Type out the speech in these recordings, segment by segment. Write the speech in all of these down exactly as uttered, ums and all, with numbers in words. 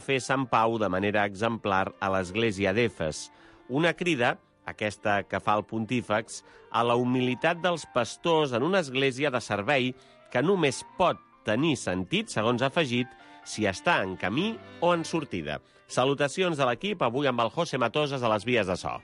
fer Sant Pau de manera exemplar a l'església d'Efes. Una crida, aquesta que fa el pontífex, a la humilitat dels pastors en una església de servei que només pot tenir sentit, segons ha afegit, si està en camí o en sortida. Salutacions de l'equip, avui amb el José Matosas a les vies de so.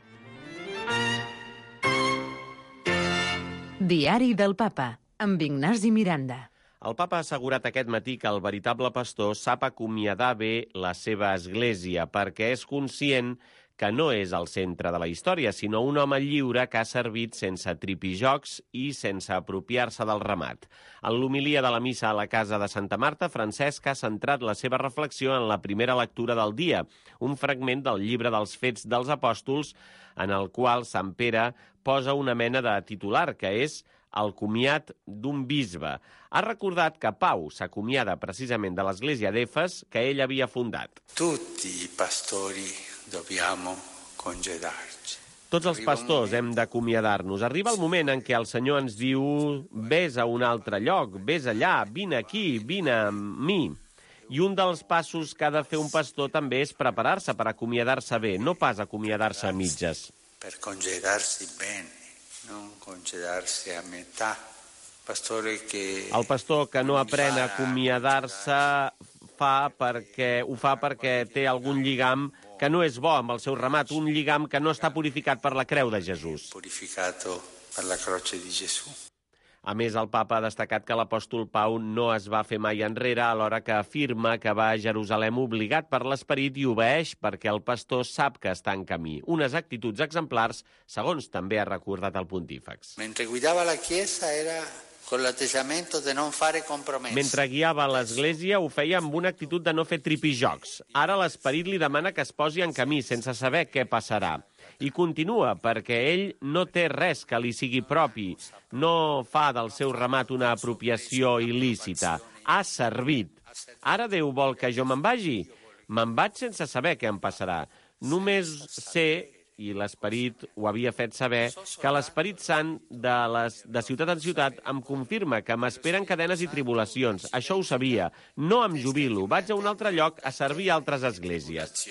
Diari del Papa, amb Ignasi Miranda. El papa ha assegurat aquest matí que el veritable pastor sap acomiadar bé la seva església perquè és conscient que no és el centre de la història, sinó un home lliure que ha servit sense tripijocs i sense apropiar-se del ramat. En l'homilia de la missa a la casa de Santa Marta, Francesc ha centrat la seva reflexió en la primera lectura del dia, un fragment del llibre dels Fets dels Apòstols, en el qual Sant Pere posa una mena de titular, que és el comiat d'un bisbe. Ha recordat que Pau s'acomiada precisament de l'església d'Efes que ell havia fundat. Tutti i pastori dobbiamo congedarci. Tots els pastors hem d'acomiadar-nos. Arriba el moment en què el Senyor ens diu «Ves a un altre lloc, ves allà, vine aquí, vine amb mi». I un dels passos que ha de fer un pastor també és preparar-se per acomiadar-se bé, no pas acomiadar-se a mitges. Per congedarsi bene, non congedarsi a metà. Pastore che... El pastor que no aprèn a acomiadar-se fa perquè, ho fa perquè té algun lligam que no és bo amb el seu ramat, un lligam que no està purificat per la creu de Jesús. Purificato per la croce di Gesù. A més, el papa ha destacat que l'apòstol Pau no es va fer mai enrere, alhora que afirma que va a Jerusalem obligat per l'esperit i obeeix perquè el pastor sap que està en camí. Unes actituds exemplars, segons també ha recordat el pontífex. Mentre guidava la Chiesa era con l'atteggiamento de non fare compromessi. Mentre guiava l'església ho feia amb una actitud de no fer tripijocs. Ara l'esperit li demana que es posi en camí sense saber què passarà. I continua, perquè ell no té res que li sigui propi, no fa del seu ramat una apropiació il·lícita. Ha servit. Ara Déu vol que jo me'n vagi? Me'n vaig sense saber què em passarà. Només sé, i l'Esperit ho havia fet saber, que l'Esperit Sant de, les, de ciutat en ciutat em confirma que m'esperen cadenes i tribulacions. Això ho sabia. No em jubilo. Vaig a un altre lloc a servir a altres esglésies.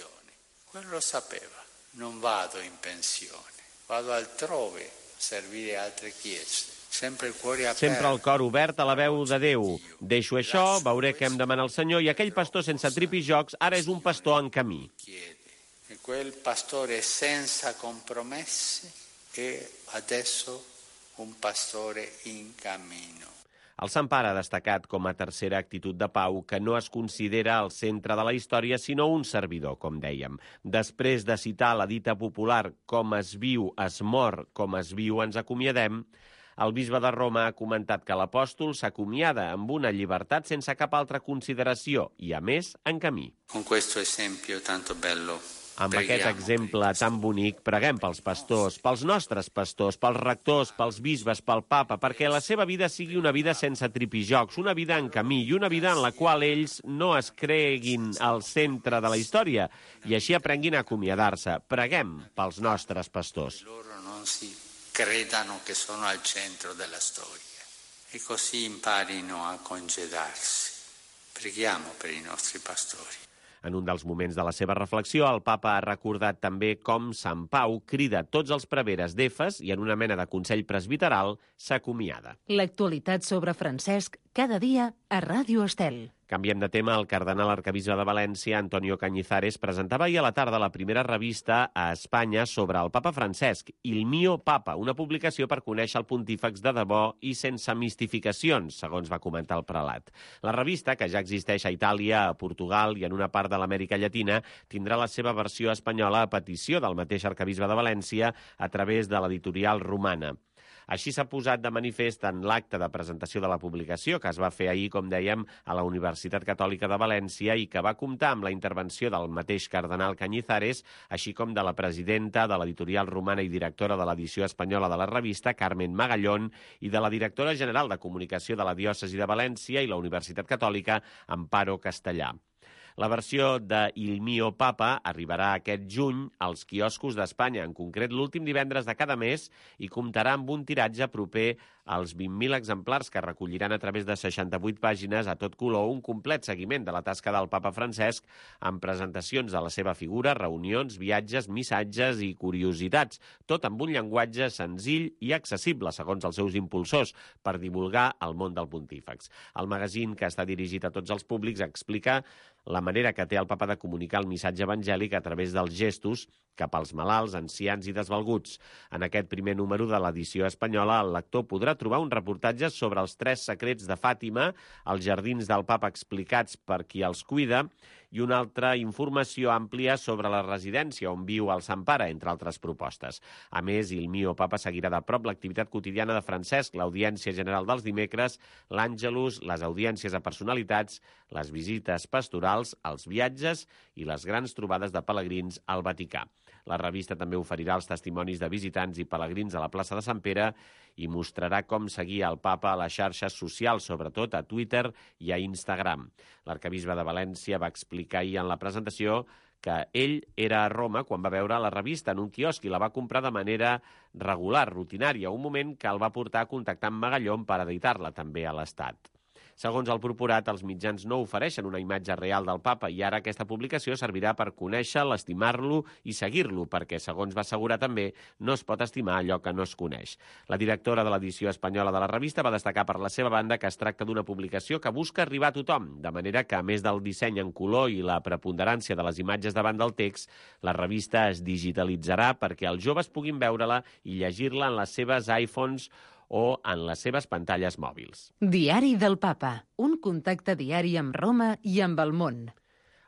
Quello sapeva. Non vado in pensione, vado altrove a servire altre chiese. Sempre il cuore aperto. Sempre el cor obert a la veu de Déu. Deixo això, veuré què em demana el Senyor, i aquell pastor sense tripijocs ara és un pastor en camí. E quel pastore senza compromessi è adesso un pastore in cammino. El Sant Pare ha destacat com a tercera actitud de Pau que no es considera el centre de la història, sinó un servidor, com dèiem. Després de citar la dita popular «com es viu, es mor, com es viu, ens acomiadem», el bisbe de Roma ha comentat que l'apòstol s'acomiada amb una llibertat sense cap altra consideració i, a més, en camí. Con questo esempio tanto bello. Amb aquest exemple tan bonic, preguem pels pastors, pels nostres pastors, pels rectors, pels bisbes, pel papa, perquè la seva vida sigui una vida sense tripijocs, una vida en camí i una vida en la qual ells no es creguin al centre de la història i així aprenguin a acomiadar-se. Preguem pels nostres pastors. Loro non si credano che sono al centro della storia e così imparino a congedarsi. Preghiamo per i nostri pastori. En un dels moments de la seva reflexió, el papa ha recordat també com Sant Pau crida tots els preveres d'Efes i en una mena de consell presbiteral s'acomiada. L'actualitat sobre Francesc cada dia a Ràdio Estel. Canviem de tema. El cardenal arquebisbe de València, Antonio Cañizares, presentava ahir a la tarda la primera revista a Espanya sobre el papa Francesc, Il mio papa, una publicació per conèixer el pontífex de debò i sense mistificacions, segons va comentar el prelat. La revista, que ja existeix a Itàlia, a Portugal i en una part de l'Amèrica Llatina, tindrà la seva versió espanyola a petició del mateix arquebisbe de València a través de l'editorial Romana. Així s'ha posat de manifest en l'acte de presentació de la publicació, que es va fer ahir, com dèiem, a la Universitat Catòlica de València i que va comptar amb la intervenció del mateix cardenal Cañizares, així com de la presidenta de l'editorial Romana i directora de l'edició espanyola de la revista, Carmen Magallón, i de la directora general de comunicació de la diòcesi de València i la Universitat Catòlica, Amparo Castellà. La versió de Il mio papa arribarà aquest juny als quioscos d'Espanya, en concret l'últim divendres de cada mes, i comptarà amb un tiratge proper als vint mil exemplars que recolliran a través de seixanta-vuit pàgines a tot color un complet seguiment de la tasca del papa Francesc amb presentacions de la seva figura, reunions, viatges, missatges i curiositats, tot amb un llenguatge senzill i accessible, segons els seus impulsors, per divulgar el món del pontífex. El magazín, que està dirigit a tots els públics, explica la manera que té el papa de comunicar el missatge evangèlic a través dels gestos cap als malalts, ancians i desvalguts. En aquest primer número de l'edició espanyola, el lector podrà trobar un reportatge sobre els tres secrets de Fàtima, els jardins del papa explicats per qui els cuida, i una altra informació àmplia sobre la residència on viu el Sant Pare, entre altres propostes. A més, Il mio papa seguirà de prop l'activitat quotidiana de Francesc, l'audiència general dels dimecres, l'Àngelus, les audiències a personalitats, les visites pastorals, els viatges i les grans trobades de pelegrins al Vaticà. La revista també oferirà els testimonis de visitants i pelegrins a la plaça de Sant Pere i mostrarà com seguir el papa a les xarxes socials, sobretot a Twitter i a Instagram. L'arcabisbe de València va explicar ahir en la presentació que ell era a Roma quan va veure la revista en un quiosc i la va comprar de manera regular, rutinària, un moment que el va portar a contactar amb Magallón per editar-la també a l'Estat. Segons el procurat, els mitjans no ofereixen una imatge real del papa i ara aquesta publicació servirà per conèixer-lo, estimar-lo i seguir-lo, perquè, segons va assegurar també, no es pot estimar allò que no es coneix. La directora de l'edició espanyola de la revista va destacar per la seva banda que es tracta d'una publicació que busca arribar a tothom, de manera que, a més del disseny en color i la preponderància de les imatges davant del text, la revista es digitalitzarà perquè els joves puguin veure-la i llegir-la en les seves iPhones o en les seves pantalles mòbils. Diari del Papa, un contacte diari amb Roma i amb el món.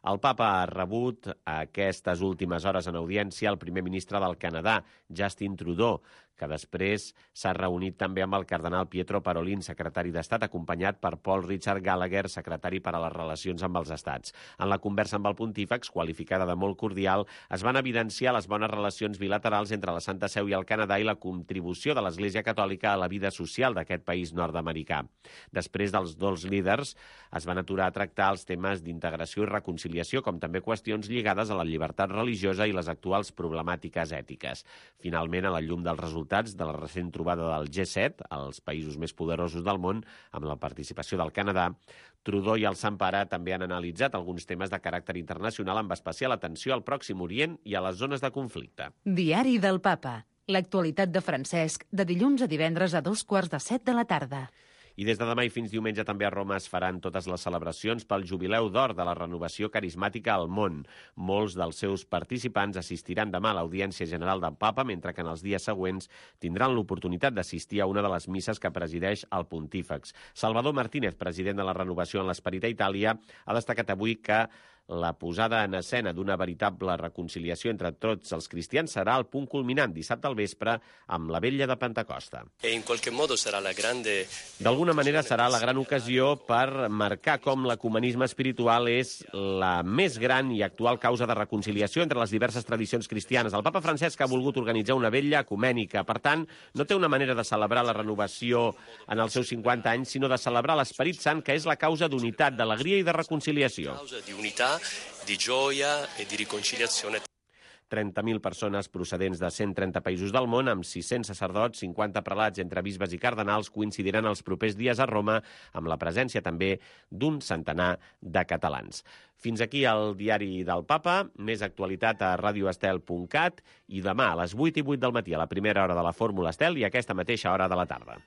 El papa ha rebut a aquestes últimes hores en audiència el primer ministre del Canadà, Justin Trudeau, que després s'ha reunit també amb el cardenal Pietro Parolin, secretari d'Estat, acompanyat per Paul Richard Gallagher, secretari per a les relacions amb els estats. En la conversa amb el pontífex, qualificada de molt cordial, es van evidenciar les bones relacions bilaterals entre la Santa Seu i el Canadà i la contribució de l'Església Catòlica a la vida social d'aquest país nord-americà. Després dels dos líders es van aturar a tractar els temes d'integració i reconciliació, com també qüestions lligades a la llibertat religiosa i les actuals problemàtiques ètiques. Finalment, a la llum dels resultats de la recent trobada del G set, els països més poderosos del món, amb la participació del Canadà, Trudeau i el Sant Pare també han analitzat alguns temes de caràcter internacional amb especial atenció al Pròxim Orient i a les zones de conflicte. Diari del Papa. L'actualitat de Francesc, de dilluns a divendres a dos quarts de set de la tarda. I des de demà i fins diumenge també a Roma es faran totes les celebracions pel Jubileu d'Or de la renovació carismàtica al món. Molts dels seus participants assistiran demà a l'Audiència General del Papa, mentre que en els dies següents tindran l'oportunitat d'assistir a una de les misses que presideix el pontífex. Salvador Martínez, president de la Renovació en l'Esperit a Itàlia, ha destacat avui que la posada en escena d'una veritable reconciliació entre tots els cristians serà el punt culminant dissabte al vespre amb la vetlla de Pentecosta. D'alguna manera serà la gran ocasió per marcar com l'ecumenisme espiritual és la més gran i actual causa de reconciliació entre les diverses tradicions cristianes. El papa Francesc ha volgut organitzar una vetlla ecumènica. Per tant, no té una manera de celebrar la renovació en els seus cinquanta anys, sinó de celebrar l'Esperit Sant, que és la causa d'unitat, d'alegria i de reconciliació. Di gioia e di riconciliazione. trenta mil persones procedents de cent trenta països del món, amb sis-cents sacerdots, cinquanta prelats entre bisbes i cardenals, coincidiran els propers dies a Roma amb la presència també d'un centenar de catalans. Fins aquí el diari del Papa, més actualitat a radio estel punt cat i demà a les vuit i vuit del matí a la primera hora de la Fórmula Estel i a aquesta mateixa hora de la tarda.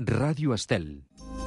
Ràdio Estel.